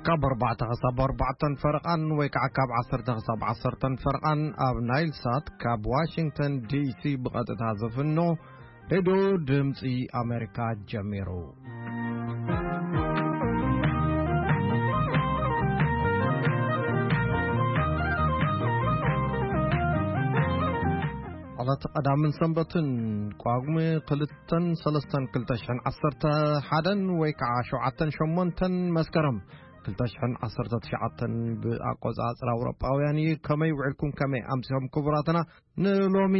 ካብ ኣርባዕተ ክሳብ ኣርባዕተን ፈረቓን ወይ ከዓ ካብ ዓሰርተ ክሳብ ዓሰርተን ፈረቓን ኣብ ናይል ሳት ካብ ዋሽንግተን ዲ ሲ ብቐጥታ ዝፍኖ ሬድዮ ድምፂ ኣሜሪካ ጀሚሩ። ዕለት ቀዳምን ሰንበትን ቋጉሜ ክልተን ሰለስተን ክልተ ሽሕን ዓሰርተ ሓደን ወይ ከዓ ሸውዓተን ሸሞንተን መስከረም ክልተ ሽሕን ዓሰርተ ትሽዓተን ብኣቆፃፅራ ኣውሮጳውያን እዩ። ከመይ ውዕልኩም፣ ከመይ ኣምሲኹም ክቡራትና? ንሎሚ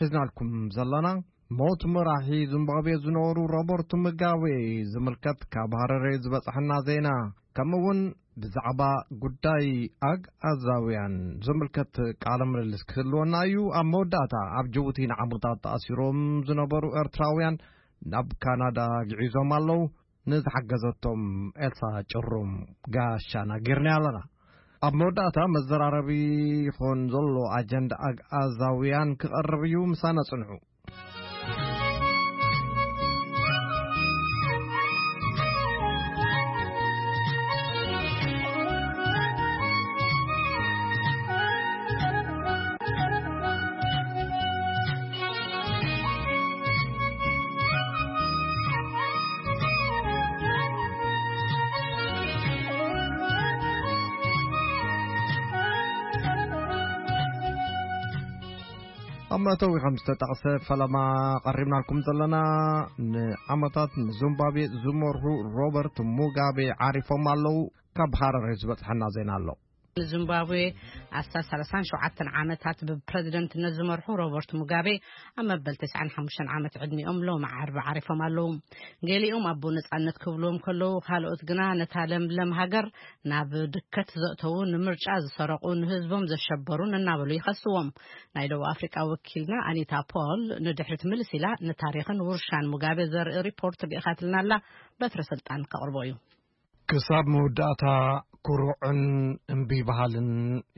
ሒዝናልኩም ዘለና ሞት መራሒ ዚምባብዌ ዝነበሩ ሮበርት ሙጋቤ ዝምልከት ካብ ሃረሬ ዝበፅሐና ዜና፣ ከምኡ እውን ብዛዕባ ጉዳይ ኣግኣዛውያን ዝምልከት ቃለ ምልልስ ክህልወና እዩ። ኣብ መወዳእታ ኣብ ጅቡቲ ንዓመታት ተኣሲሮም ዝነበሩ ኤርትራውያን ናብ ካናዳ ግዒዞም ኣለዉ። ንዝሓገዘቶም ኤልሳ ጭሩም ጋሻና ጌርና ኣለና። ኣብ መወዳእታ መዘራረቢ ይኾን ዘሎ ኣጀንዳ ኣግኣዛውያን ክቐርብ እዩ። ምሳና ጽንሑ። ኣብ መእተዊ ከም ዝተጠቕሰ ፈለማ ቀሪብናልኩም ዘለና ንዓመታት ንዚምባብዌ ዝመርሑ ሮበርት ሙጋቤ ዓሪፎም ኣለዉ። ካብ ሃረሬ ዝበጽሐና ዜና ኣሎ። ንዚምባብዌ ኣስታት ሰላሳን ሸውዓተን ዓመታት ብፕረዚደንትነት ዝመርሑ ሮበርት ሙጋቤ ኣብ መበል ተስዓን ሓሙሽተን ዓመት ዕድሚኦም ሎሚ ዓርቢ ዓሪፎም ኣለዉ። ገሊኦም ኣቦ ነጻነት ክብልዎም ከለዉ፣ ካልኦት ግና ነታ ለምለም ሃገር ናብ ድከት ዘእተዉ፣ ንምርጫ ዝሰረቑ፣ ንህዝቦም ዘሸበሩን እናበሉ ይኸስዎም። ናይ ደቡብ ኣፍሪቃ ወኪልና ኣኒታ ፖል ንድሕሪት ምልስ ኢላ ንታሪኽን ውርሻን ሙጋቤ ዘርኢ ሪፖርት ልኢኻትልና ኣላ። በትረ ስልጣን ከቕርቦ እዩ። ክሳብ መወዳእታ ኩሩዕን እምቢ በሃልን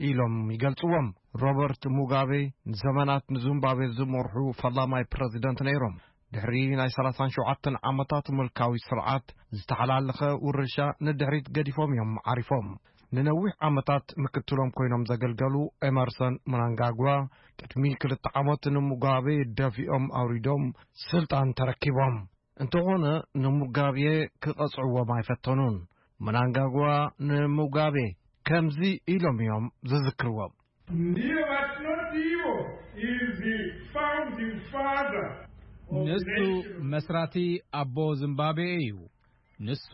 ኢሎም ይገልጽዎም። ሮበርት ሙጋቤ ንዘመናት ንዚምባብዌ ዝመርሑ ፈላማይ ፕረዚደንት ነይሮም። ድሕሪ ናይ ሰላሳን ሸውዓተን ዓመታት ምልካዊ ስርዓት፣ ዝተሓላለኸ ውርሻ ንድሕሪት ገዲፎም እዮም ዓሪፎም። ንነዊሕ ዓመታት ምክትሎም ኮይኖም ዘገልገሉ ኤመርሰን ምናንጋግዋ፣ ቅድሚ ክልተ ዓመት ንሙጋቤ ደፊኦም ኣውሪዶም ስልጣን ተረኪቦም። እንተኾነ፣ ንሙጋቤ ክቐጽዕዎም ኣይፈተኑን። ምናንጋግዋ ንሙጋቤ ከምዚ ኢሎም እዮም ዝዝክርዎም። Neither but not evil is the founding father of the ንሱ nation. መስራቲ ኣቦ ዚምባብዌ እዩ። ንሱ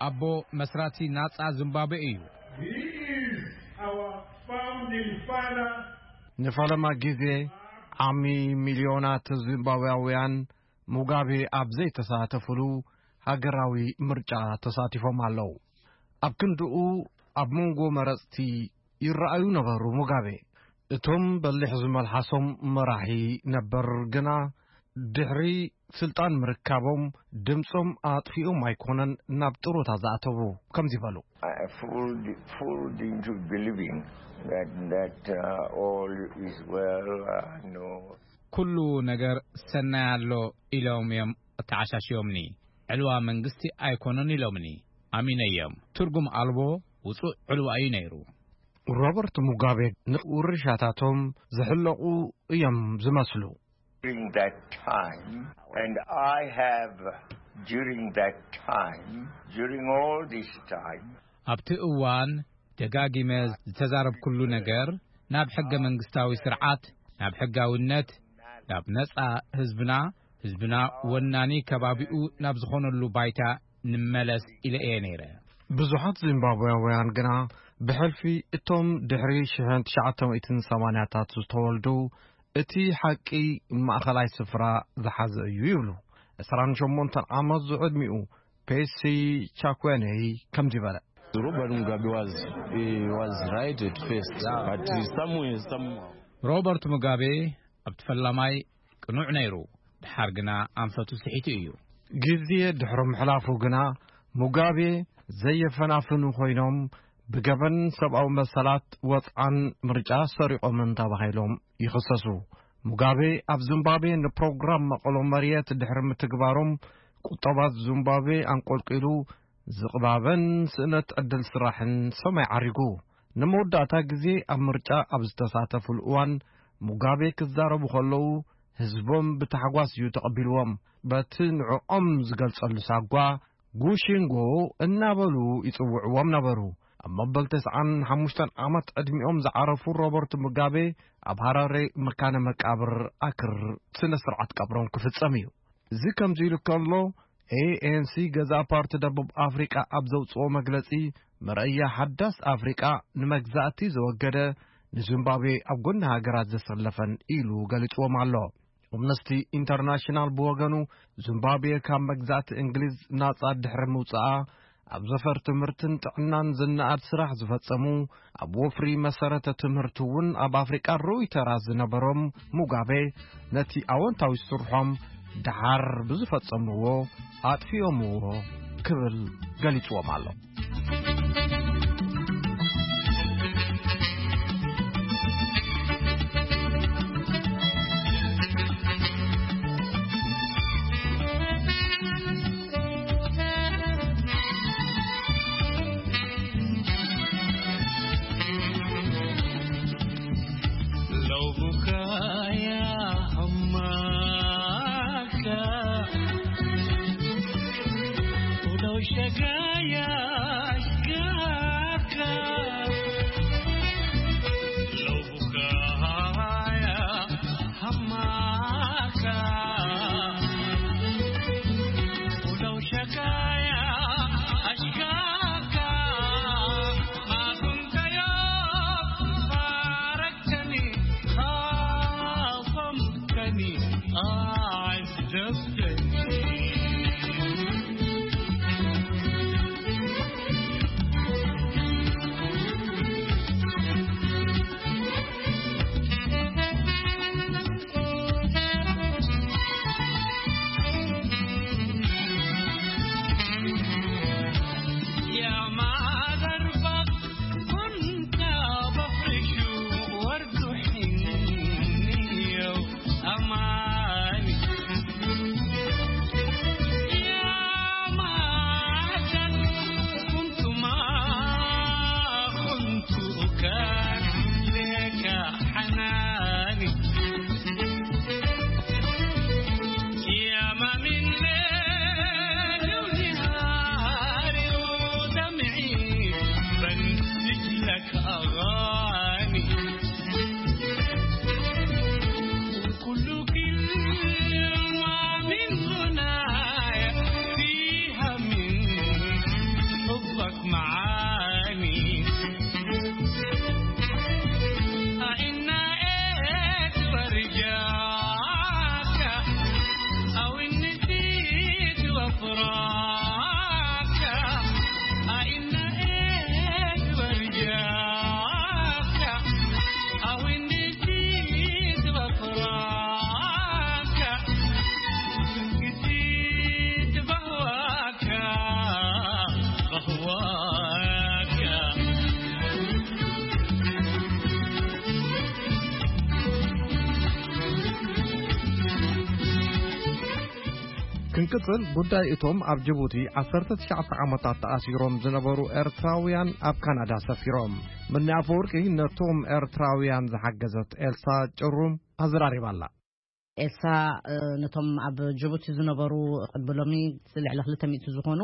ኣቦ መስራቲ ናጻ ዚምባብዌ እዩ። He is our founding father. ንፈለማ ግዜ ዓሚ ሚልዮናት ዚምባብያውያን ሙጋቤ ኣብ ዘይተሳተፍሉ ሃገራዊ ምርጫ ተሳቲፎም ኣለዉ። ኣብ ክንድኡ ኣብ መንጎ መረጽቲ ይረኣዩ ነበሩ። ሙጋቤ እቶም በሊሕ ዝመልሓሶም መራሒ ነበር ግና ድሕሪ ስልጣን ምርካቦም ድምጾም ኣጥፊኦም ኣይኮነን ናብ ጥሮታ ዝኣተዉ። ከምዚ በሉ። I fooled, fooled into believing that, that uh, all is well. Uh, no. ኩሉ ነገር ሰናይ ኣሎ ኢሎም እዮም ተዓሻሽዮምኒ። ዕልዋ መንግስቲ ኣይኮነን ኢሎምኒ። ኣሚነዮም። ትርጉም ኣልቦ ውጹእ ዕልዋ እዩ ነይሩ። ሮበርት ሙጋቤ ንውርሻታቶም ዝሕለቑ እዮም ዝመስሉ። During that time, and I have, during that time, during all this time, ኣብቲ እዋን ደጋጊመ ዝተዛረብኩሉ ነገር፣ ናብ ሕገ መንግስታዊ ስርዓት፣ ናብ ሕጋውነት፣ ናብ ነጻ ህዝብና፣ ህዝብና ወናኒ ከባቢኡ ናብ ዝኾነሉ ባይታ ንመለስ ኢለ እየ ነይረ። ብዙሓት ዚምባብያውያን ግና ብሕልፊ እቶም ድሕሪ ሽሕን ትሽዓተ ሚእትን ሰማንያታት ዝተወልዱ እቲ ሓቂ ማእኸላይ ስፍራ ዝሓዘ እዩ ይብሉ። ዕስራን ሸሞንተን ዓመት ዝዕድሚኡ ፔሲ ቻኩዌነይ ከምዚ በለ። Robert Mugabe was, he was right at first, but somewhere, somehow. ሮበርት ሙጋቤ ኣብቲ ፈላማይ ቅኑዕ ነይሩ፣ ድሓር ግና ኣንፈቱ ስሒቱ እዩ። ግዜ ድሕሪ ምሕላፉ ግና ሙጋቤ ዘየፈናፍኑ ኮይኖም ብገበን ሰብኣዊ መሰላት ወጽዓን ምርጫ ሰሪቖምን ተባሂሎም ይኽሰሱ። ሙጋቤ ኣብ ዚምባብዌ ንፕሮግራም መቐሎ መርየት ድሕሪ ምትግባሮም ቁጠባ ዚምባብዌ ኣንቆልቂሉ ዝቕባበን ስእነት ዕድል ስራሕን ሰማይ ዓሪጉ። ንመወዳእታ ግዜ ኣብ ምርጫ ኣብ ዝተሳተፉሉ እዋን፣ ሙጋቤ ክዛረቡ ከለዉ፣ ህዝቦም ብታሕጓስ እዩ ተቐቢልዎም። በቲ ንዕኦም ዝገልጸሉ ሳጓ፣ ጉሺንጎ እናበሉ ይጽውዕዎም ነበሩ። ኣብ መበል ተስዓን ሓሙሽተን ዓመት ዕድሚኦም ዝዓረፉ ሮበርት ሙጋቤ፣ ኣብ ሃራሬ መካነ መቃብር ኣክር ስነ ስርዓት ቀብሮም ክፍጸም እዩ። እዚ ከምዚ ኢሉ ከሎ፣ ኤ ኤን ሲ፣ ገዛእ ፓርቲ ደቡብ ኣፍሪቃ፣ ኣብ ዘውጽኦ መግለጺ፣ መርኣያ ሓዳስ ኣፍሪቃ፣ ንመግዛእቲ ዘወገደ፣ ንዚምባብዌ ኣብ ጎኒ ሃገራት ዘሰለፈን ኢሉ ገሊጽዎም ኣሎ። ኣምነስቲ ኢንተርናሽናል ብወገኑ፣ ዚምባብዌ ካብ መግዛእቲ እንግሊዝ ናጻ ድሕሪ ምውጻኣ፣ ኣብ ዘፈር ትምህርትን ጥዕናን ዝነኣድ ስራሕ ዝፈጸሙ፣ ኣብ ወፍሪ መሰረተ ትምህርቲ እውን ኣብ ኣፍሪቃ ርኡይ ተራ ዝነበሮም ሙጋቤ፣ ነቲ ኣወንታዊ ስርሖም ደሓር ብዝፈጸምዎ ኣጥፊኦምዎ ክብል ገሊጽዎም ኣሎ። ክንቅጽል፣ ጉዳይ እቶም ኣብ ጅቡቲ ዓሰርተ ትሽዓተ ዓመታት ተኣሲሮም ዝነበሩ ኤርትራውያን ኣብ ካናዳ ሰፊሮም። ምኒ ኣፈወርቂ ነቶም ኤርትራውያን ዝሓገዘት ኤልሳ ጭሩም ኣዘራሪባ ኣላ። ኤልሳ፣ እ፣ ነቶም ኣብ ጅቡቲ ዝነበሩ ቅድሚ ሎሚ ልዕሊ ክልተ ሚእቲ ዝኾኑ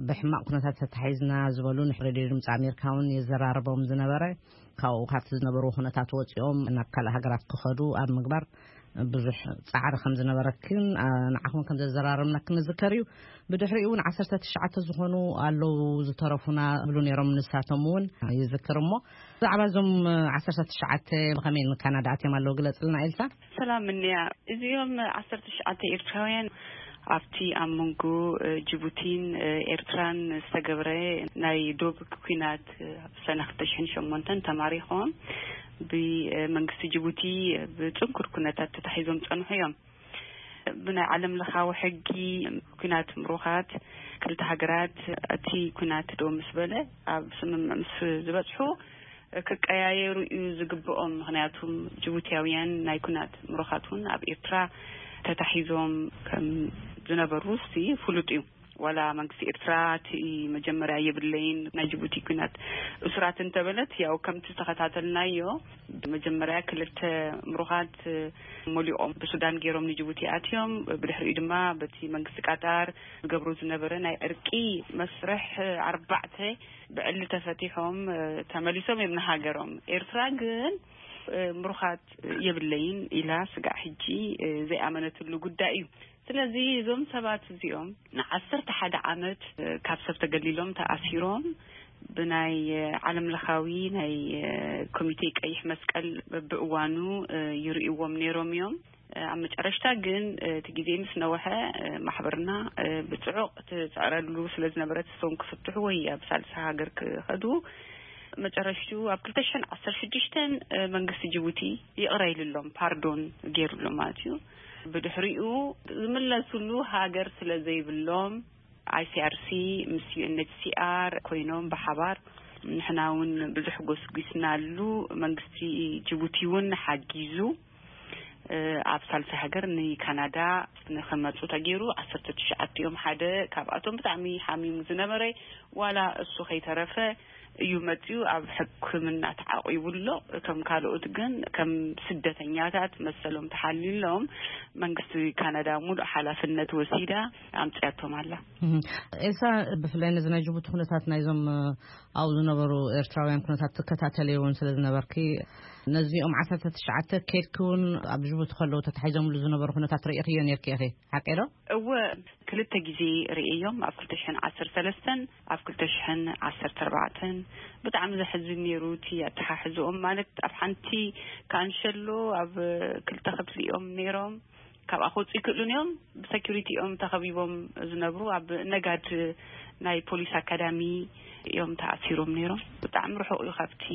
ብሕማቕ ኩነታት ተታሒዝና ዝበሉ ንሬድዮ ድምፂ ኣሜሪካ እውን የዘራርቦም ዝነበረ፣ ካብኡ ካብቲ ዝነበሩ ኩነታት ወፂኦም ናብ ካልእ ሃገራት ክኸዱ ኣብ ምግባር ብዙሕ ጻዕሪ ከም ዝነበረክን፣ ኣ፣ ንዓኹም ከም ዘዘራረብናክን ንዝከር እዩ። ብድሕሪኡ እውን ዓሰርተ ትሽዓተ ዝኾኑ ኣለዉ ዝተረፉና ይብሉ ነይሮም፣ ንሳቶም እውን ይዝክር። እሞ ብዛዕባ እዞም ዓሰርተ ትሽዓተ ብኸመይ ንካናዳ ኣትዮም ኣለዉ ግለጽልና ኤልሳ። ሰላም እንያ። እዚኦም ዓሰርተ ትሽዓተ ኤርትራውያን ኣብቲ ኣብ መንጎ፣ እ፣ ጅቡቲን፣ እ፣ ኤርትራን ዝተገብረ ናይ ዶብ ኲናት፣ እ፣ ኣብ ሰነ ክልተ ሽሕን ሸሞንተን ተማሪኾም ብመንግስቲ ጅቡቲ ብጽንኩር ኩነታት ተታሒዞም ጸንሑ እዮም። ብናይ ዓለም ለኻዊ ሕጊ ኲናት ምሩኻት ክልተ ሃገራት እቲ ኲናት ደው ምስ በለ ኣብ ስምምዕ ምስ ዝበጽሑ ክቀያየሩ እዩ ዝግብኦም። ምኽንያቱም ጅቡትያውያን ናይ ኲናት ምሩኻት እውን ኣብ ኤርትራ ተታሒዞም ከም ዝነበሩ እስቲ ፍሉጥ እዩ። ዋላ መንግስቲ ኤርትራ እቲ መጀመርያ የብለይን ናይ ጅቡቲ ኲናት እሱራት እንተበለት፣ ያው ከምቲ ዝተኸታተልናዮ መጀመርያ ክልተ ምሩኻት መሊኦም ብሱዳን ገይሮም ንጅቡቲ ኣትዮም። ብድሕሪኡ ድማ በቲ መንግስቲ ቃጣር ዝገብሮ ዝነበረ ናይ ዕርቂ መስርሕ ኣርባዕተ ብዕሊ ተፈቲሖም ተመሊሶም እዮም ንሃገሮም። ኤርትራ ግን ምሩኻት የብለይን ኢላ ስጋዕ ሕጂ ዘይኣመነትሉ ጉዳይ እዩ። ስለዚ እዞም ሰባት እዚኦም ንዓሰርተ ሓደ ዓመት ካብ ሰብ ተገሊሎም ተኣሲሮም ብናይ ዓለም ለኻዊ ናይ ኮሚቴ ቀይሕ መስቀል በብእዋኑ ይርእይዎም ነይሮም እዮም። ኣብ መጨረሽታ ግን እቲ ግዜ ምስ ነወሐ ማሕበርና ብጽዑቕ ትጽዕረሉ ስለ ዝነበረት እሶም ክፍትሑ ወይ ኣብ ሳልሳ ሃገር ክኸዱ መጨረሽቱ ኣብ ክልተ ሽሕን ዓሰርተ ሽዱሽተን መንግስቲ ጅቡቲ ይቕረ ኢሉሎም፣ ፓርዶን ገይሩሎም ማለት እዩ። ብድሕሪኡ ዝምለሱሉ ሃገር ስለ ዘይብሎም፣ ኣይሲኣርሲ ምስ ዩኤንኤችሲኣር ኮይኖም ብሓባር ንሕና እውን ብዙሕ ጎስጒስናሉ። መንግስቲ ጅቡቲ እውን ሓጊዙ ኣብ ሳልሳይ ሃገር ንካናዳ ንክመፁ ተገይሩ። ዓሰርተ ትሽዓተ እዮም። ሓደ ካብኣቶም ብጣዕሚ ሓሚሙ ዝነበረ፣ ዋላ እሱ ከይተረፈ እዩ መፅዩ። ኣብ ሕክምና ተዓቂቡ ኣሎ። እቶም ካልኦት ግን ከም ስደተኛታት መሰሎም ተሓልዩሎም፣ መንግስቲ ካናዳ ሙሉእ ሓላፍነት ወሲዳ ኣምፅያቶም ኣላ። እሳ ብፍላይ ነዚ ናይ ጅቡቲ ኩነታት ናይዞም ኣብኡ ዝነበሩ ኤርትራውያን ኩነታት ትከታተልዮ እውን ስለ ዝነበርኪ፣ ነዚኦም ዓሰርተ ትሽዓተ ኬድኪ እውን ኣብ ጅቡቲ ከለዉ ተታሒዞምሉ ዝነበሩ ኩነታት ርእኽዮ ነርኪ ኢኺ፣ ሓቂ ዶ? እወ፣ ክልተ ግዜ ርእዮም፣ ኣብ ክልተ ሽሕን ዓሰርተ ሰለስተን ኣብ ክልተ ሽሕን ዓሰርተ ኣርባዕተን። ብጣዕሚ ዘሕዝን ነይሩ እቲ ኣተሓሕዝኦም። ማለት ኣብ ሓንቲ ካንሸሎ ኣብ ክልተ ክፍሊ እዮም ነይሮም። ካብኣ ክወፁ ይክእሉን እዮም። ብሰኪሪቲ እዮም ተኸቢቦም ዝነብሩ። ኣብ ነጋድ ናይ ፖሊስ ኣካዳሚ እዮም ተኣሲሮም ነይሮም። ብጣዕሚ ርሑቕ እዩ ካብቲ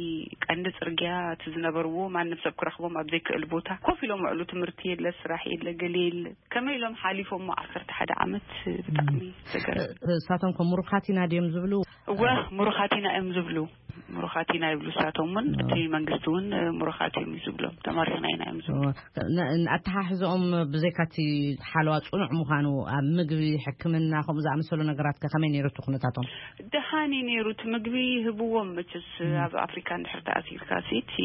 ቀንዲ ጽርግያ እቲ ዝነበርዎ። ማንም ሰብ ክረኽቦም ኣብ ዘይክእል ቦታ ኮፍ ኢሎም ውዕሉ። ትምህርቲ የለ፣ ስራሕ የለ፣ ገለ የለ። ከመይ ኢሎም ሓሊፎሞ ዓሰርተ ሓደ ዓመት? ብጣዕሚ ዘገርም። እሳቶም ከ ምሩኻት ኢና ድዮም ዝብሉ? እወ፣ ምሩኻት ኢና እዮም ዝብሉ። ምሩኻት ኢና ይብሉ እሳቶም እውን። እቲ መንግስቲ እውን ምሩኻት እዮም እዩ ዝብሎም። ተማሪኽና ኢና እዮም ዝብሉ። ን-፣ ኣተሓሕዝኦም ብዘይካ እቲ ሓለዋ ጽኑዕ ምዃኑ፣ ኣብ ምግቢ፣ ሕክምና፣ ከምኡ ዝኣመሰሉ ነገራት ከ ከመይ ነይሩ እቲ ኩነታቶም? ደሓን እዩ ነይሩ። እቲ ምግቢ ይህብዎም መቸስ። ኣብ ኣፍሪካ እንድሕር ተኣሲርካ ሲ እቲ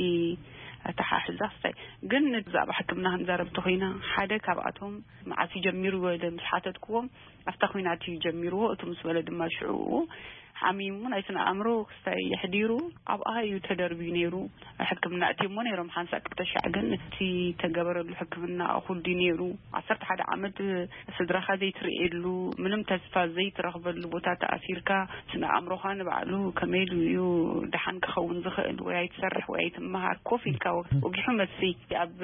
ኣተሓሕዛ ክስታይ። ግን ብዛዕባ ሕክምና ክንዛረብ እንተኾይና፣ ሓደ ካብኣቶም መዓስ እዩ ጀሚሩ ኢለ ምስ ሓተትክዎም፣ ኣብታ ኲናት እዩ ጀሚርዎ። እቲ ምስ በለ ድማ ሽዑ ሓሚሙ ናይ ስነ ኣእምሮ ክስታይ የሕዲሩ ኣብኣ እዩ ተደርብዩ ነይሩ። ሕክምና እትሞ ነይሮም ሓንሳእ ክልተ ሻዕ፣ ግን እቲ ተገበረሉ ሕክምና እኹል ድዩ ነይሩ? ዓሰርተ ሓደ ዓመት ስድራኻ ዘይትርእየሉ፣ ምንም ተስፋ ዘይትረኽበሉ ቦታ ተኣሲርካ፣ ስነ ኣእምሮኻ ንባዕሉ ከመይ ኢሉ እዩ ደሓን ክኸውን ዝኽእል? ወይ ኣይትሰርሕ ወይ ኣይትመሃር፣ ኮፍ ኢልካ ወ-፣ ወጊሑ መስይ ኣብ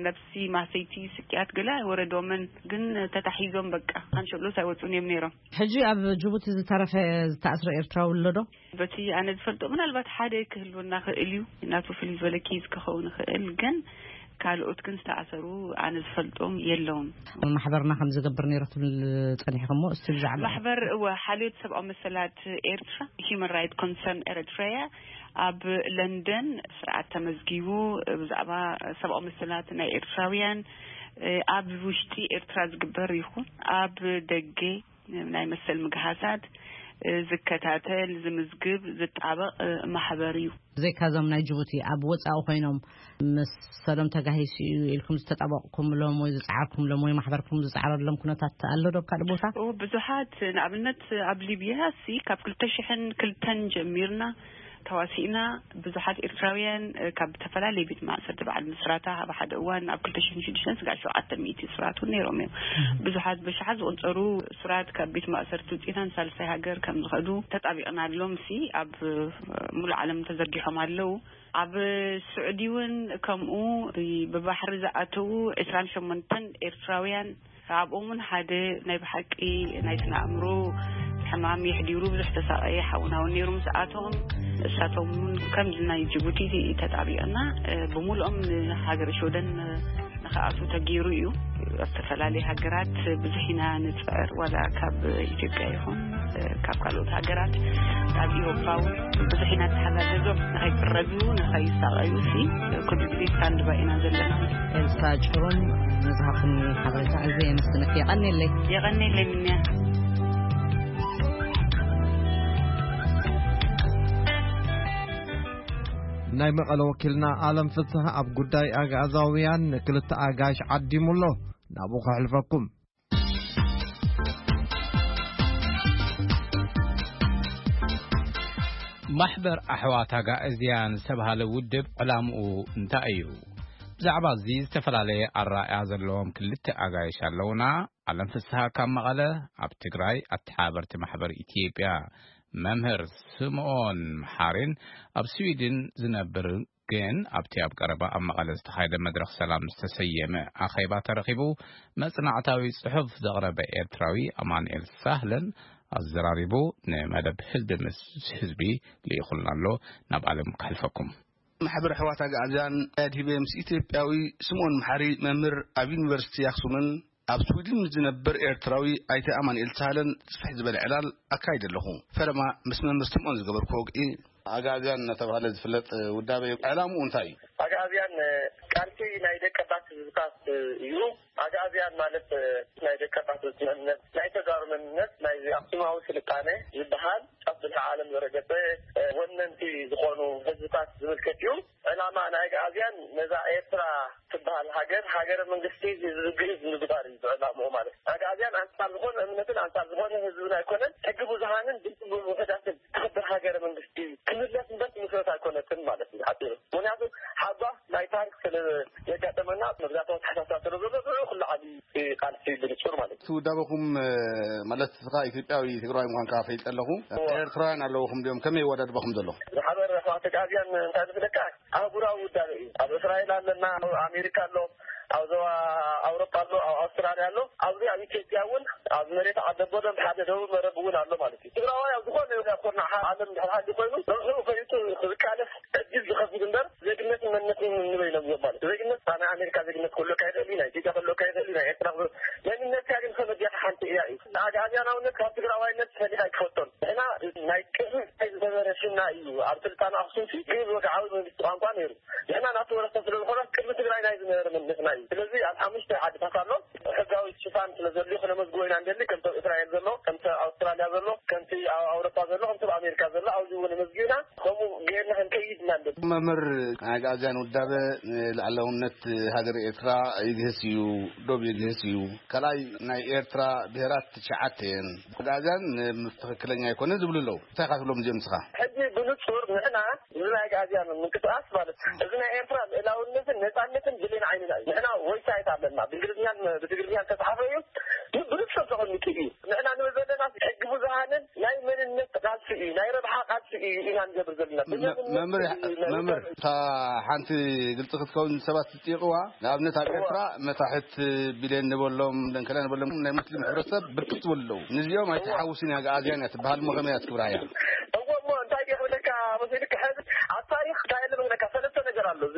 ነፍሲ ማሰይቲ ስቅያት ገለ ኣይወረዶምን፣ ግን ተታሒዞም በቃ ካንሸሎስ ኣይወፁን እዮም ነይሮም። ሕጂ ኣብ ጅቡቲ ዝተረፈ ዝተኣስረ ኤርትራዊ ኣሎ ዶ? በቲ ኣነ ዝፈልጦ ምናልባት ሓደ ክህልወና ክእል እዩ፣ ናቱ ፍልይ ዝበለ ኬዝ ክኸውን ይኽእል፣ ግን ካልኦት ግን ዝተኣሰሩ ኣነ ዝፈልጦም የለውን። ማሕበርና ከም ዝገብር ነይሩ ትብል ጸኒሕኹም እሞ፣ እስቲ ብዛዕባ ማሕበር፣ እወ፣ ሓልዮት ሰብኣዊ መሰላት ኤርትራ፣ ሂዩማን ራይት ኮንሰርን ኤሪትሪያ፣ ኣብ ለንደን ስርዓት ተመዝጊቡ ብዛዕባ ሰብኣዊ መሰላት ናይ ኤርትራውያን ኣብ ውሽጢ ኤርትራ ዝግበር ይኹን ኣብ ደገ ናይ መሰል ምግሃሳት ዝከታተል፣ ዝምዝግብ፣ ዝጣበቕ ማሕበር እዩ። ብዘይካ እዞም ናይ ጅቡቲ ኣብ ወጻኢ ኮይኖም መሰሎም ተጋሂሱ እዩ ኢልኩም ዝተጣበቕኩምሎም ወይ ዝጸዓርኩምሎም ወይ ማሕበርኩም ዝጸዓረሎም ኩነታት ኣሎ ዶ ኣብ ካልእ ቦታ? ኦ፣ ብዙሓት፣ ንኣብነት ኣብ ሊብያ ሲ ካብ ክልተ ሽሕን ክልተን ጀሚርና ተዋሲእና ብዙሓት ኤርትራውያን፣ እ፣ ካብ ዝተፈላለየ ቤት ማእሰርቲ በዓል ምስራታ ኣብ ሓደ እዋን ኣብ ክልተ ሽሕን ሽዱሽተን ስጋዕ ሸውዓተ ሚእቲ እሱራት እውን ነይሮም እዮም። ብዙሓት ብሽሓት ዝቑጸሩ እሱራት ካብ ቤት ማእሰርቲ ውፅኢታን ሳልሳይ ሃገር ከም ዝኸዱ ተጣቢቕናሎም ሲ ኣብ፣ እ፣ ሙሉእ ዓለም ተዘርጊሖም ኣለዉ። ኣብ ስዑዲ እውን ከምኡ ብባሕሪ ዝኣተዉ ዕስራን ሸሞንተን ኤርትራውያን ኣብኦም እውን ሓደ ናይ ብሓቂ ናይ ስነ ኣእምሮ ሕማም የሕዲሩ ብዙሕ ተሳቐየ ሓውና እውን ነይሩ ምስኣቶም። እሳቶም እውን ከምዚ ናይ ጅቡቲ ተጣቢቕና፣ እ፣ ብምሉኦም ንሃገረ ሽወደን ንኽኣትዉ ተገይሩ እዩ። ኣብ ዝተፈላለየ ሃገራት ብዙሕ ኢና ንጽዕር፣ ዋላ ካብ ኢትዮጵያ ይኹን፣ እ፣ ካብ ካልኦት ሃገራት፣ ካብ ኤውሮፓ እውን ብዙሕ ኢና ንተሓጋገዞም ንኸይቅረዙ፣ ንኸይሳቐዩ ሲ ኩሉ ግዜ ስታንድ ባይ ኢና ዘለና። ኤልሳ ጭሩም፣ ንዝሃብኩኒ ሓበሬታ ኣዝየ የመስግነኪ። የቐንየለይ። የቐንየለይ ምንያ። ናይ መቐለ ወኪልና ኣለም ፍስሐ ኣብ ጉዳይ ኣግኣዛውያን ንክልተ ኣጋይሽ ዓዲሙ ኣሎ። ናብኡ ከሕልፈኩም። ማሕበር ኣሕዋት ኣጋእዝያን ዝተባህለ ውድብ ዕላምኡ እንታይ እዩ? ብዛዕባ እዚ ዝተፈላለየ ኣረኣእያ ዘለዎም ክልተ ኣጋይሽ ኣለውና። ኣለም ፍስሃ ካብ መቐለ፣ ኣብ ትግራይ ኣተሓባበርቲ ማሕበር ኢትዮጵያ መምህር ስምኦን መሓሪን ኣብ ስዊድን ዝነብር ግን ኣብቲ ኣብ ቀረባ ኣብ መቐለ ዝተኻየደ መድረኽ ሰላም ዝተሰየመ ኣኼባ ተረኺቡ መጽናዕታዊ ጽሑፍ ዘቕረበ ኤርትራዊ ኣማኑኤል ሳህለን ኣዘራሪቡ ንመደብ ህዝቢ ምስ ህዝቢ ልኢኹልና ኣሎ። ናብ ኣለም ከሕልፈኩም። ማሕበር ኣሕዋት ኣግኣዝያን ኣድሂበ ምስ ኢትዮጵያዊ ስምኦን መሓሪ መምህር ኣብ ዩኒቨርሲቲ ኣክሱምን ኣብ ስዊድን ዝነብር ኤርትራዊ ኣይተ ኣማኑኤል ሳህለን ስፍሕ ዝበለ ዕላል ኣካይደ ኣለኹ። ፈለማ ምስ መምህር ስምኦን ዝገበርኩ ወግዒ ኣግኣዝያን እናተባህለ ዝፍለጥ ውዳበ እዩ። ዕላምኡ እንታይ እዩ? ኣግኣዝያን ቃልሲ ናይ ደቀባት ህዝብታት እዩ። ኣግኣዝያን ማለት ናይ ደቀባት መንነት፣ ናይ ተጋሩ መንነት፣ ናይ ኣክሱማዊ ስልጣነ ዝበሃል ጫፍ ብልሒ ዓለም ዘረገጸ ወነንቲ ዝኾኑ ህዝብታት ዝምልከት እዩ። ዕላማ ናይ ኣግኣዝያን ነዛ ኤርትራ ትበሃል ሃገር፣ ሃገረ መንግስቲ ህዝቢ ግእዝ ምግባር እዩ ዕላምኡ ማለት እዩ። ኣግኣዝያን ኣንጻር ዝኾነ እምነትን ኣንጻር ዝኾነ ህዝብን ኣይኮነን፣ ሕጊ ብዙሃንን ድምፂ ውሑዳትን ትኽብር ሃገረ መንግስቲ ክምለስ እምበር ትምስረት ኣይኮነትን ማለት እዩ ሓፂሩ። ምክንያቱ ሓጓፍ ናይ ታሪክ ስለ ዘጋጠመና መግዛእታዊ ኣተሓሳስባ ስለ ዘሎ ንዕኡ ክለዓል እዩ እቲ ቃልሲ ብንጹር ማለት እዩ። እቲ ውዳበኹም ማለት ንስኻ ኢትዮጵያዊ ትግራዋይ ምዃንካ ፈሊጠ ኣለኹ። እወ። ኤርትራውያን ኣለውኹም ድዮም? ከመይ ይወዳድበኹም ዘሎ? ዝሓበረ ኣሕዋት ኣግኣዝያን እንታይ ዝብለካ ኣህጉራዊ ውዳበ እዩ። ኣብ እስራኤል ኣለና፣ ኣብ ኣሜሪካ ኣሎ፣ ኣብ ዞባ ኣውሮፓ ኣሎ፣ ኣብ ኣውስትራልያ ኣሎ። ኣብዚ ኣብ ኢትዮጵያ እውን ኣብ መሬት ዓደቦ ደንብ ሓደ ደቡብ መረብ እውን ኣሎ ማለት እዩ። ትግራዋይ ኣብ ዝኾነ ይኹን ኩርናዕ ዓለም ድሕር ሃሊ ኮይኑ ንርሑቕ ፈሊጡ ክቃለስ ዕድል ዝኸፍት እምበር ዜግነትን መንነትን ንበይኖም እዮም ማለት እዩ። ዜግነት ናይ ኣሜሪካ ዜግነት ክህልወካ ይኽእል እዩ፣ ናይ ኢትዮጵያ ክህልወካ ይኽእል እዩ፣ ናይ ኤርትራ ክህልወ-፣ መንነትካ ግን ከመይ ጌርካ ሓንቲ እያ እዩ። ኣግኣዝያናውነት ካብ ትግራዋይነት ፈሊኻ ኣይትፈልጦን። ንሕና ናይ ቅድሚ ናይ ዝነበረ ሽምና እዩ። ኣብ ስልጣነ ኣኽሱም ሲ ግእዝ ወግዓዊ መንግስቲ ቋንቋ ነይሩ። ንሕና ናቱ ወረስታ ስለ ዝኾና ቅድሚ ትግራይ ናይ ዝነበረ መንነትና እዩ። ስለዚ ኣብ ሓሙሽተ ዓድታት ኣሎ። ሕጋዊ ሽፋን ስለ ዘድልዮ ክነመዝግቦ ኢና እንደሊ፣ ከምቲ ኣብ እስራኤል ዘሎ፣ ከምቲ ኣብ ኣውስትራልያ ዘሎ፣ ከምቲ ኣብ ኣውሮፓ ዘሎ፣ ከምቲ ኣብ ኣሜሪካ ዘሎ ኣብዚ እውን ነመዝጊብና ከምኡ ጌርና ክንከይድ ኢና እንደሊ። መምህር፣ ናይ ኣግኣዝያን ውዳበ ንልኣላውነት ሃገር ኤርትራ ይግህስ እዩ፣ ዶብ ይግህስ እዩ። ካልኣይ ናይ ኤርትራ ብሄራት ትሽዓተ እየን። ኣግኣዝያን ምስ ትኽክለኛ ኣይኮነን ዝብሉ ኣለዉ። እንታይ ኢኻ ትብሎም እዚኦም ንስኻ? ሕጂ ብንጹር ንሕና እዚ ናይ ኣግኣዝያን ምንቅስቃስ ማለት እዚ ናይ ኤርትራ ልእላውነትን ነጻነትን ብሌን ዓይንና እዩ። ንሕና ዌብሳይት ኣለና፣ ብእንግሊዝኛን ብትግርኛን ዝተጻሓፈ እዩ። ግን ብንጹር ተቐሚጡ እዩ። ንሕና ንብል ዘለና ሕጊ ብዙሃንን ናይ መንነት ቃልሲ እዩ፣ ናይ ረብሓ ቃልሲ እዩ ኢና ንገብር ዘለና። መ-፣ መምህር፣ መምህር፣ እታ ሓንቲ ግልጺ ክትከውን ሰባት ዝጥይቕዋ፣ ንኣብነት ኣብ እዋ። ኤርትራ መታሕት ቢልዮን ንበሎም፣ ደንከላ ንበሎም፣ ናይ ሙስሊም ሕብረተሰብ ብርክት ዝበሉ ኣለዉ። ንዚኦም ኣይትሓውስን እያ፣ ኣግኣዝያን እያ ትበሃል፣ እሞ ከመይ እያ ትክብራ እያ? እዎ፣ እሞ እንታይ ድየ ክብለካ መሲልካ፣ ሕዚ ኣብ ታሪኽ እንታይ ኣሎ ክብለካ፣ ሰለስተ ነገር ኣሎ። እዚ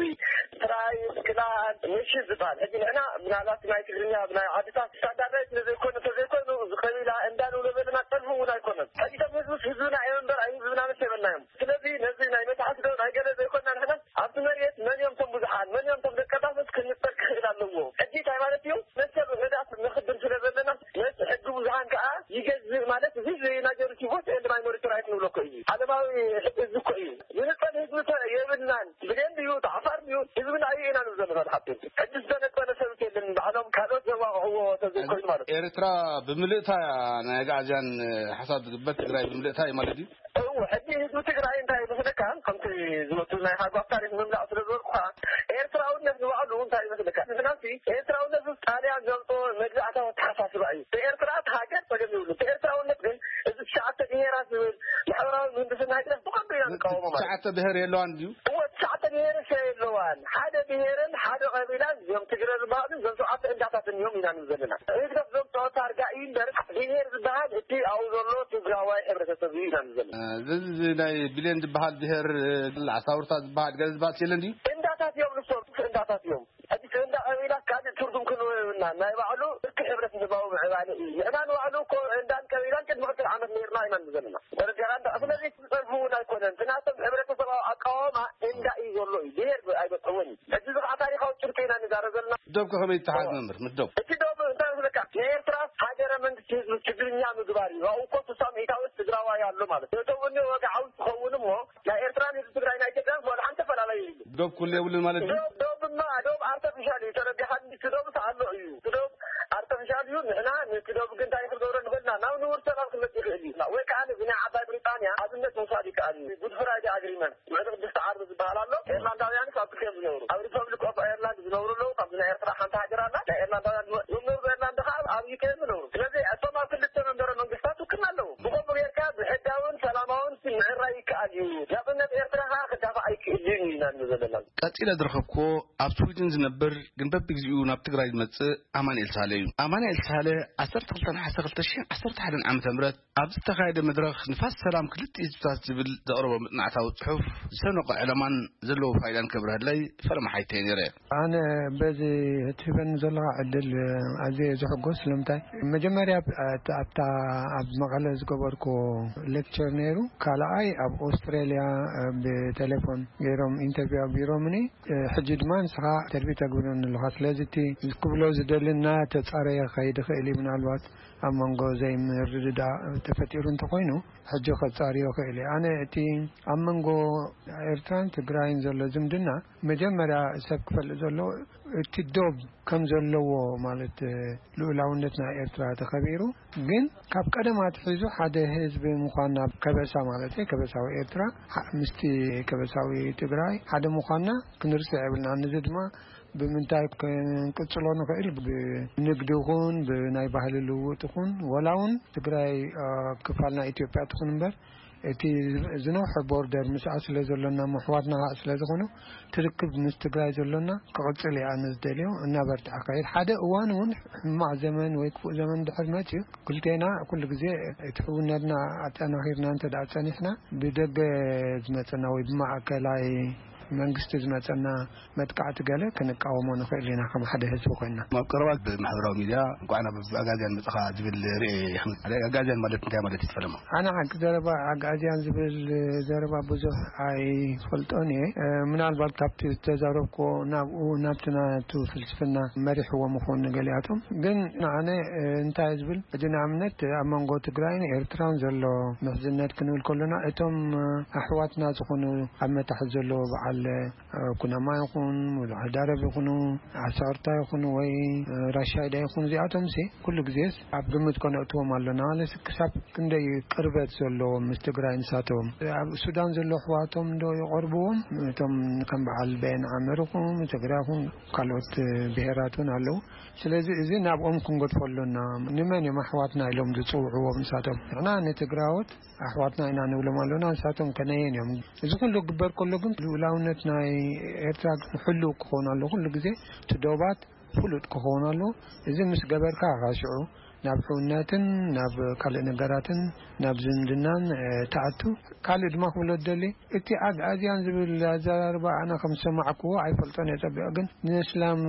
ትራይ፣ ክላን፣ ምሽት ዝበሃል። ሕጂ ንሕና ምናልባት ናይ ትግርኛ፣ ናይ ዓድታት ስታንዳርዳይዝ ስለ ዘይኮነ፣ ተዘይኮይኑ፣ እዚ ቀቢላ እንዳ ንብሎ ዘለና ጸርፊ እውን ኣይኮነን። ሕጂ እቶም ህዝብስ ህዝብና እዮም እምበር፣ ኣይ ህዝብና መስ የበልናዮም። ስለዚ ነዚ ናይ መታሕት ዶ ናይ ገለ ዘይኮንና ንሕና ኣብቲ መሬት መን እዮም እቶም ብዙሓን፣ መን እዮም እቶም ደቀባትስ ክንጸር ክኽእል ኣለዎ። ሕጂ እንታይ ማለት እዩ? መሰል ውሑዳት ነኽብር ስለ ዘለና፣ ነቲ ሕጊ ብዙሓን ከኣ ይገዝእ ማለት እዚ ናይ ጀርሲ ቮት ኤንድ ማይኖሪቲ ራይት ንብሎ እኮ እዩ። ዓለማዊ ሕጊ እዚ እኮ እዩ። ዝንጸል ህዝቢ እኮ የብልናን። ብሌን ድዩ፣ ዓፋር ድዩ፣ ህዝብና እዩ ኢና ንብል ዘለና ንሓቱ። ሕጂ ዝተነጸለ ሰብስ የለን። ባዕሎም ካልኦት ዘዋቕዕዎ ተዘይኮይኑ ማለት እዩ። ኤርትራ ብምልእታ እያ ናይ ኣግኣዝያን ሓሳብ ዝግበር፣ ትግራይ ብምልእታ እዩ ማለት እዩ። እው፣ ሕጂ ህዝቢ ትግራይ እንታይ ይመስለካ? ከምቲ ዝመቱ ናይ ሃጓፍ ታሪኽ ምምላእ ስለ ዝበልኩኻ፣ ኤርትራውነት ንባዕሉ እንታይ ይመስለካ? ምኽንያቱ ኤርትራውነት ምስ ጣልያን ዘምጽኦ መግዛእታዊ ኣተሓሳስባ እዩ። ብኤርትራ እቲ ሃገር ጸገም የብሉ። እቲ ኤርትራውነት ግን እዚ ትሽዓተ ብሄራት ዝብል ማሕበራዊ ምህንድስና ህግደፍ ብቐንዱ ኢና ንቃወሞ ማለት እዩ። ትሽዓተ ብሄር የለዋን ድዩ? እወ፣ ትሽዓተ ብሄር እሰ የለዋን። ሓደ ብሄርን ሓደ ቀቢላን እዞም ትግረ ዝበሃሉ እዞም ሸውዓተ እንዳታትን እዮም ኢና ንብል ዘለና። ህግደፍ ዘምጽኦ ታርጋ እዩ እምበር ብሄር ዝበሃል እቲ ኣብኡ ዘሎ ትግራዋይ ሕብረተሰብ እዩ ኢና ንብል ዘለና። እ፣ እዚ፣ እዚ ናይ ቢሌን ዝበሃል ብሄር፣ እ፣ ዓሳውርታ ዝበሃል ገለ ዝበሃል የለን ድዩ? እንዳታት እዮም ንሶም፣ እንዳታት እዮም። ሕጂ እንዳ ቀቢላ ካልእ ትርጉም ክንህቦ የብልናን። ናይ ባዕሉ እኪ ሕብረተሰባዊ ምዕባለ እዩ። ንሕና ንባዕሉ እኮ እንዳን ቀቢላን ቅድሚ ክልተ ዓመት ነይርና ኢና ንብል ዘለና። ደረጃና እንዳ-፣ ስለዚ ዝጸርፉ እውን ኣይኮነን። እቲ ናቶም ሕብረተሰባዊ ኣቃውማ እንዳ እዩ ዘሎ እዩ። ብሄር ኣይበጽሕዎን እዩ። ሕጂ እዚ ከዓ ታሪኻዊ ጭብጢ ኢና ንዛረብ ዘለና። ምዶብ ከ ከመይ ይተሓዝ መምህር? ምዶብ። እቲ ዶብ እንታይ ይመስለካ? ናይ ኤርትራ ሃገረ መንግስቲ ህዝቢ ትግርኛ ምግባር እዩ። ኣብኡ እኮ ስሳ ሚእታዊ ትግራዋይ ኣሎ ማለት እዩ። እቶም እኒ ወግዓዊ ትኸውን እሞ ናይ ኤርትራን ህዝቢ ትግራይ ናይ ኢትዮጵያን ወላ ሓንቲ ኣፈላለዩ የብሉን። ዶብ ኩሉ የብሉን ማለት እዩ? ዶብ፣ ዶብማ፣ ዶብ ኣርተፊሻል እዩ። ተረዲኻ፣ እቲ ዶብ ኣሎ እዩ። እቲ ዶብ ኣርተፊሻል እዩ። ንሕና ነቲ ዶብ ግን እንታይ ክንገብሮ ንኽእል ኢና? ናብ ንቡር ሰላም ክመጽእ ይኽእል እዩ። ወይ ከኣ እዚ ናይ ዓባይ ብሪጣንያ ኣብነት ምውሳድ ይከኣል እዩ። ጉድ ፍራይዴ ኣግሪመንት፣ ውዕሊ ቅድስቲ ዓርቢ ዝበሃል ኣሎ። ኤርላንዳውያን ካብ ክልቲኦም ዝነብሩ፣ ኣብ ሪፐብሊክ ኦፍ ኣየርላንድ ዝነብሩ ኣለዉ። ካብዚ ናይ ኤርትራ ሓንቲ ሃገር ኣላ። ናይ ኤርላንዳውያን ዝነብሩ፣ እቶም ዝነብሩ ኤርላንድ ከዓ ኣብ ዩኬ እዮም ዝነብሩ። ስለዚ እቶም ኣብ ክልተ መንበረ መንግስታት ውክልና ኣለዉ። ብኸምኡ ጌርካ ብሕጋውን ሰላማውን ምዕራይ ይከኣል እዩ። ናጽነት ኤርትራ ከዓ ክዳፋእ ኣይክእልን እዩ ኢና ንብል ዘለና። ቀጺለ ዝረኸብኩዎ ኣብ ስዊድን ዝነብር ግን በብግዚኡ ናብ ትግራይ ዝመጽእ ኣማንኤል ሳለ እዩ። ኣማንኤል ሳለ ዓሰርተ ክልተ ነሓሰ ክልተ ሽሕን ዓሰርተ ሓደን ዓመተ ምህረት ኣብ ዝተኻየደ መድረኽ ንፋስ ሰላም ክልተ ህዝብታት ዝብል ዘቕረቦ መጽናዕታዊ ጽሑፍ ዝሰነቖ ዕላማን ዘለዎ ፋይዳን ከብርሀለይ ፈለማ ሓይተየ ነይረ። ኣነ በዚ እትህበኒ ዘለኻ ዕድል ኣዝየ ዝሕጎስ። ስለምንታይ? መጀመርያ ኣብታ ኣብ መቐለ ዝገበርኩዎ ሌክቸር ነይሩ። ካልኣይ ኣብ ኦስትራልያ ብቴሌፎን ገይሮም ኢንተርቪው ኣቢሮምኒ። ሕጂ ድማ ንስኻ ኢንተርቪው ተግብረኒ ኣለኻ። ስለዚ እቲ ክብሎ ዝደሊ እናተጻረየ ክኸይድ ይኽእል እዩ። ምናልባት ኣብ መንጎ ዘይምርድዳእ ተፈጢሩ እንተኾይኑ ሕጂ ከጻርዮ ይኽእል እዩ። ኣነ እቲ ኣብ መንጎ ኤርትራን ትግራይን ዘሎ ዝምድና መጀመርያ ሰብ ክፈልጥ ዘለዎ እቲ ዶብ ከም ዘለዎ፣ ማለት ልኡላውነት ናይ ኤርትራ ተኸቢሩ፣ ግን ካብ ቀደም ኣትሒዙ ሓደ ህዝቢ ምዃንና፣ ከበሳ ማለት እዩ፣ ከበሳዊ ኤርትራ ሓ-፣ ምስቲ ከበሳዊ ትግራይ ሓደ ምዃንና ክንርስዕ የብልና። ነዚ ድማ ብምንታይ ክንቅጽሎ ንኽእል? ብንግዲ ይኹን ብናይ ባህሊ ልውውጥ ይኹን፣ ወላ እውን ትግራይ፣ አ፣ ክፋል ናይ ኢትዮጵያ ትኹን እምበር፣ እቲ ዝነውሐ ቦርደር ምስኣ ስለ ዘሎና፣ ምሕዋትና ከዓ ስለ ዝኾኑ፣ ትርክብ ምስ ትግራይ ዘሎና ክቕጽል እየ ኣነ ዝደልዮ። እናበርትዐ ካይድ ሓደ እዋን እውን ሕማቕ ዘመን ወይ ክፉእ ዘመን ድሕር መጽዩ፣ ክልቴና ኩሉ ግዜ እቲ ሕውነትና ኣጠናኺርና እንተ ደኣ ጸኒሕና፣ ብደገ ዝመጸና ወይ ብማእከላይ መንግስቲ ዝመጸና መጥቃዕቲ ገለ ክንቃወሞ ንኽእል ኢና፣ ከም ሓደ ህዝቢ ኮይንና። ኣብ ቀረባ ብማሕበራዊ ሚድያ እንኳዕ ናብ ኣጋዝያን መጻኻ ዝብል ርኤ ይኽእል። ኣጋዝያን ማለት እንታይ ማለት እዩ ትፈልጥ? ኣነ ሓቂ ዘረባ ኣጋዝያን ዝብል ዘረባ ብዙሕ ኣይፈልጦን እየ። እ፣ ምናልባት ካብቲ ዝተዛረብኩዎ ናብኡ፣ ናብቲ ናቱ ፍልስፍና መሪሕዎ ምኾኑ ገሊኣቶም። ግን ንኣነ፣ እ፣ እንታይ ዝብል፣ ሕጂ ንኣብነት ኣብ መንጎ ትግራይን ኤርትራን ዘሎ ምሕዝነት ክንብል ከሎና፣ እቶም፣ እ፣ ኣሕዋትና ዝኾኑ ኣብ መታሕት ዘለዎ በዓል ኩናማ ይኹን፣ ወላ ዓዳረብ ይኹኑ፣ ዓሳርታ ይኹኑ ወይ ራሻይዳ ይኹን፣ እዚኣቶምሲ ኩሉ ግዜስ ኣብ ግምት ከነእትዎም ኣሎና። ማለትሲ ክሳብ ክንደይ ቅርበት ዘለዎም ምስ ትግራይ ንሳቶም። ኣብ ሱዳን ዘሎ ኣሕዋቶም ዶ ይቐርብዎም? እቶም ከም በዓል በየን ዓመር ይኹን፣ ትግራይ ይኹን፣ ካልኦት ብሄራት እውን ኣለዉ። ስለዚ እዚ ናብኦም ክንገድፎ ኣሎና። ንመን እዮም ኣሕዋትና ኢሎም ዝጽውዕዎም ንሳቶም? ንሕና ንትግራዎት ኣሕዋትና ኢና ንብሎም ኣሎና፣ ንሳቶም ከነየን እዮም። እዚ ኩሉ ክግበር ከሎ ግን ልኡላውነት ናይ ኤርትራ ግን ሕሉው ክኸውን ኣሎ። ኩሉ ግዜ እቲ ዶባት ፍሉጥ ክኸውን ኣሎ። እዚ ምስ ገበርካ፣ ካብ ሽዑ ናብ ሕውነትን ናብ ካልእ ነገራትን፣ ናብ ዝምድናን፣ እ፣ ትኣቱ። ካልእ ድማ ክብሎ ዝደሊ፣ እቲ ኣግኣዝያን ዝብል ኣዘራርባ ኣነ ከም ዝሰማዕክዎ ኣይፈልጦን እየ ጸቢቕ፣ ግን ንእስላም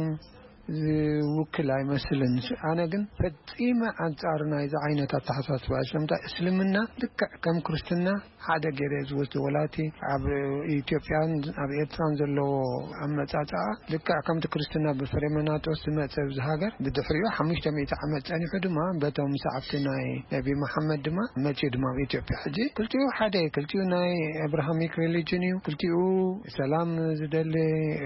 ዝውክል ኣይመስልን። ኣነ ግን ፈጺመ ኣንጻር ናይዚ ዓይነት ኣተሓሳስባ። ስለምንታይ? እስልምና ልክዕ ከም ክርስትና ሓደ ገይረ ዝወስዶ፣ ወላ እቲ ኣብ ኢትዮጵያን ኣብ ኤርትራን ዘለዎ ኣመጻጽኣ ልክዕ ከምቲ ክርስትና ብፍሬመናጦስ ዝመጸ ኣብዚ ሃገር፣ ብድሕሪኡ ሓሙሽተ ሚእቲ ዓመት ጸኒሑ ድማ በቶም ሰዓብቲ ናይ ነቢ መሓመድ ድማ መጺኡ ድማ ኣብ ኢትዮጵያ። ሕጂ ክልቲኡ ሓደ፣ ክልቲኡ ናይ ኣብርሃሚክ ሪሊጅን እዩ፣ ክልቲኡ ሰላም ዝደሊ፣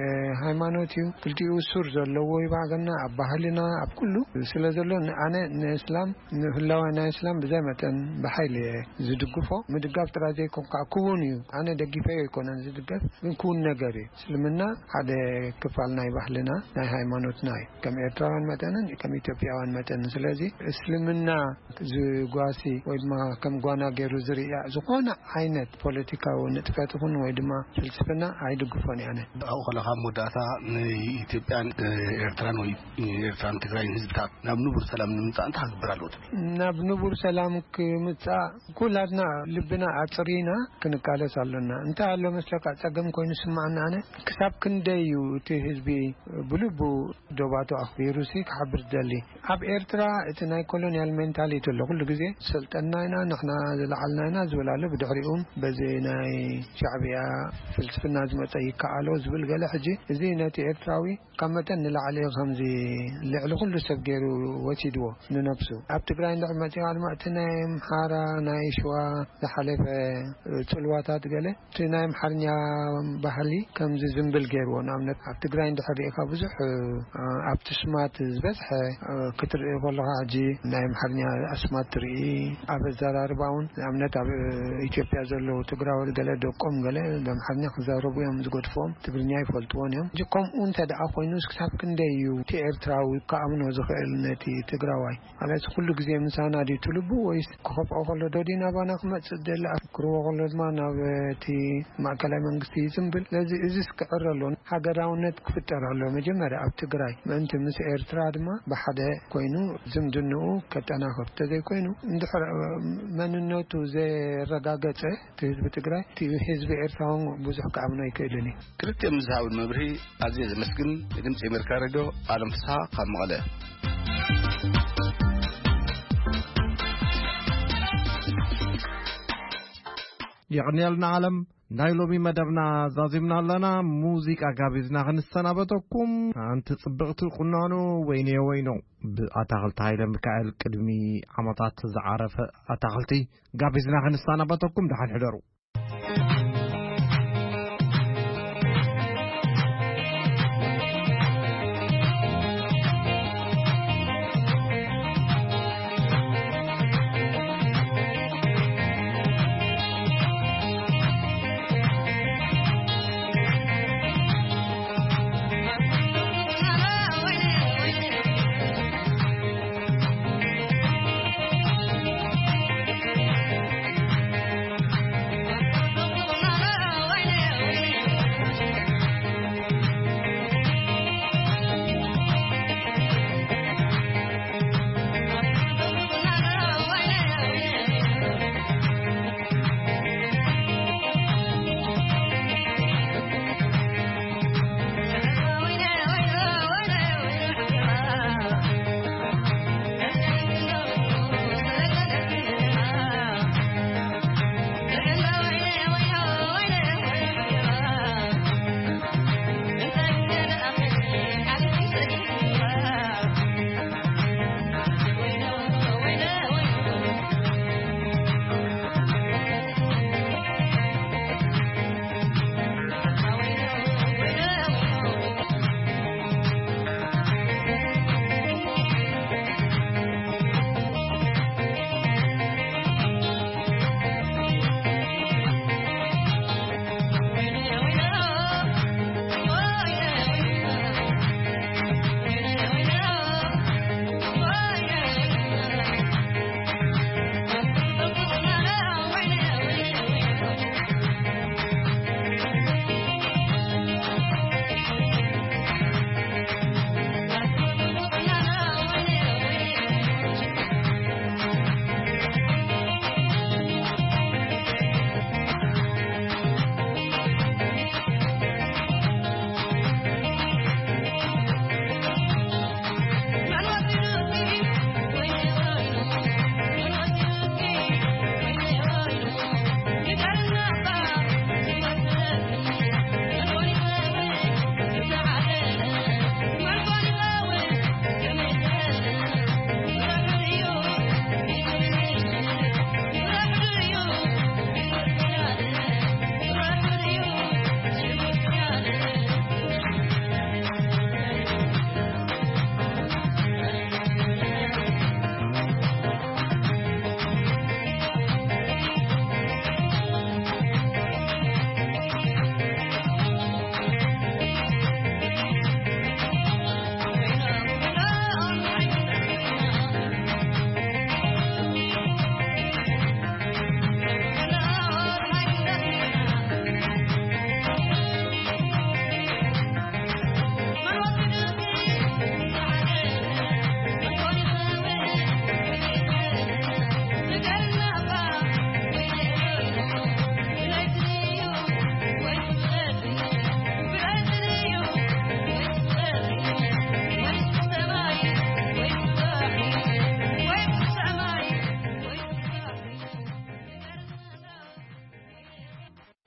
እ፣ ሃይማኖት እዩ። ክልቲኡ ሱር ዘለዎ ይባገና ኣብ ባህልና፣ ኣብ ኩሉ ስለ ዘሎ፣ ን-፣ ኣነ ንእስላም ንህላወ ናይ እስላም ብዘይ መጠን ብሓይሊ እየ ዝድግፎ። ምድጋፍ ጥራይ ዘይኮን ከዓ ክውን እዩ። ኣነ ደጊፈዮ ኣይኮነን ዝድገፍ፣ ግን ክውን ነገር እዩ። እስልምና ሓደ ክፋል ናይ ባህልና፣ ናይ ሃይማኖትና እዩ። ከም ኤርትራውያን መጠንን ከም ኢትዮጵያውያን መጠንን። ስለዚ እስልምና ዝጓሲ ወይ ድማ ከም ጓና ገይሩ ዝርእያ ዝኾነ ዓይነት ፖለቲካዊ ንጥፈት ይኹን ወይ ድማ ፍልስፍና ኣይድግፎን እየ ኣነ። ኣብኡ ከለኻ ኣብ መወዳእታ ንኢትዮጵያን ኤርትራን ወይ ኤርትራን ትግራይን ህዝብታት ናብ ንቡር ሰላም ንምምጻእ እንታይ ክግበር ኣለዎ ትብል? ናብ ንቡር ሰላም ክምጻእ ኩላትና ልብና ኣጽሪና ክንቃለስ ኣሎና። እንታይ ኣሎ መስለካ፣ ጸገም ኮይኑ ስማዕና ኣነ፣ ክሳብ ክንደይ እዩ እቲ ህዝቢ ብልቡ ዶባቱ ኣኽቢሩሲ ክሓብር ዝደሊ? ኣብ ኤርትራ እቲ ናይ ኮሎኒያል ሜንታሊቲ ኣሎ። ኩሉ ግዜ ዝሰልጠንና ኢና፣ ንሕና ዝለዓልና ኢና ዝብል ኣሎ። ብድሕሪኡ በዚ ናይ ሻዕብያ ፍልስፍና ዝመጸ ይከኣሎ ዝብል ገለ። ሕጂ እዚ ነቲ ኤርትራዊ ካብ መጠን ንላዕሊ ከምዚ ልዕሊ ኩሉ ሰብ ገይሩ ወሲድዎ ንነብሱ። ኣብ ትግራይ እንድሕር መጺኻ ድማ እቲ ናይ ኣምሓራ፣ ናይ ሸዋ ዝሓለፈ ጽልዋታት ገለ እቲ ናይ ኣምሓርኛ ባህሊ ከምዚ ዝንብል ገይርዎ። ንኣብነት ኣብ ትግራይ እንድሕር ርኢኻ ብዙሕ ኣብቲ ስማት ዝበዝሐ ክትርኢ ከለኻ ሕጂ ናይ ኣምሓርኛ ኣስማት ትርኢ። ኣብ ኣዘራርባ እውን ንኣብነት ኣብ ኢትዮጵያ ዘለዉ ትግራዎት ገለ ደቆም ገለ ብኣምሓርኛ ክዛረቡ እዮም ዝገድፍዎም፣ ትግርኛ ይፈልጥዎን እዮም። ሕጂ ከምኡ እንተ ደኣ ኮይኑ ክሳብ ክንደይ እዩ እቲ ኤርትራዊ ክኣምኖ ዝኽእል ነቲ ትግራዋይ? ማለት ኩሉ ግዜ ምሳና ድዩ እቲ ልቡ ወይስ ክኸፍኦ ከሎ ዶ ድዩ ናባና ክመጽእ ደሊ? ክርቦ ከሎ ድማ ናብ እቲ ማእከላይ መንግስቲ ይጽንብል። ስለዚ እዚስ ክዕረ ኣሎ፣ ሃገራውነት ክፍጠር ኣሎ። መጀመርያ ኣብ ትግራይ ምእንቲ ምስ ኤርትራ ድማ ብሓደ ኮይኑ ዝምድንኡ ከጠናኽር እንተዘይኮይኑ፣ እንድሕር መንነቱ ዘረጋገጸ እቲ ህዝቢ ትግራይ፣ እቲ ህዝቢ ኤርትራ እውን ብዙሕ ክኣምኖ ኣይክእልን እዩ። ክልቲኦም ዝሃቡን መብርሂ ኣዝየ ዘመስግን። ንድምፂ ኣሜሪካ ሬድዮ ኣለም ፍስሓ ካብ መቐለ። የቕንየልና ኣለም። ናይ ሎሚ መደብና ዛዚምና ኣለና። ሙዚቃ ጋቢዝና ክንሰናበተኩም። ኣንቲ ጽብቕቲ ቁናኖ ወይኔ ወይኖ ብኣታኽልቲ ሃይለ ሚካኤል ቅድሚ ዓመታት ዝዓረፈ ኣታኽልቲ ጋቢዝና ክንሰናበተኩም። ደሓን ሕደሩ።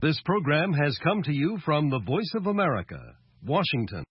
This program has come to you from the Voice of America, Washington.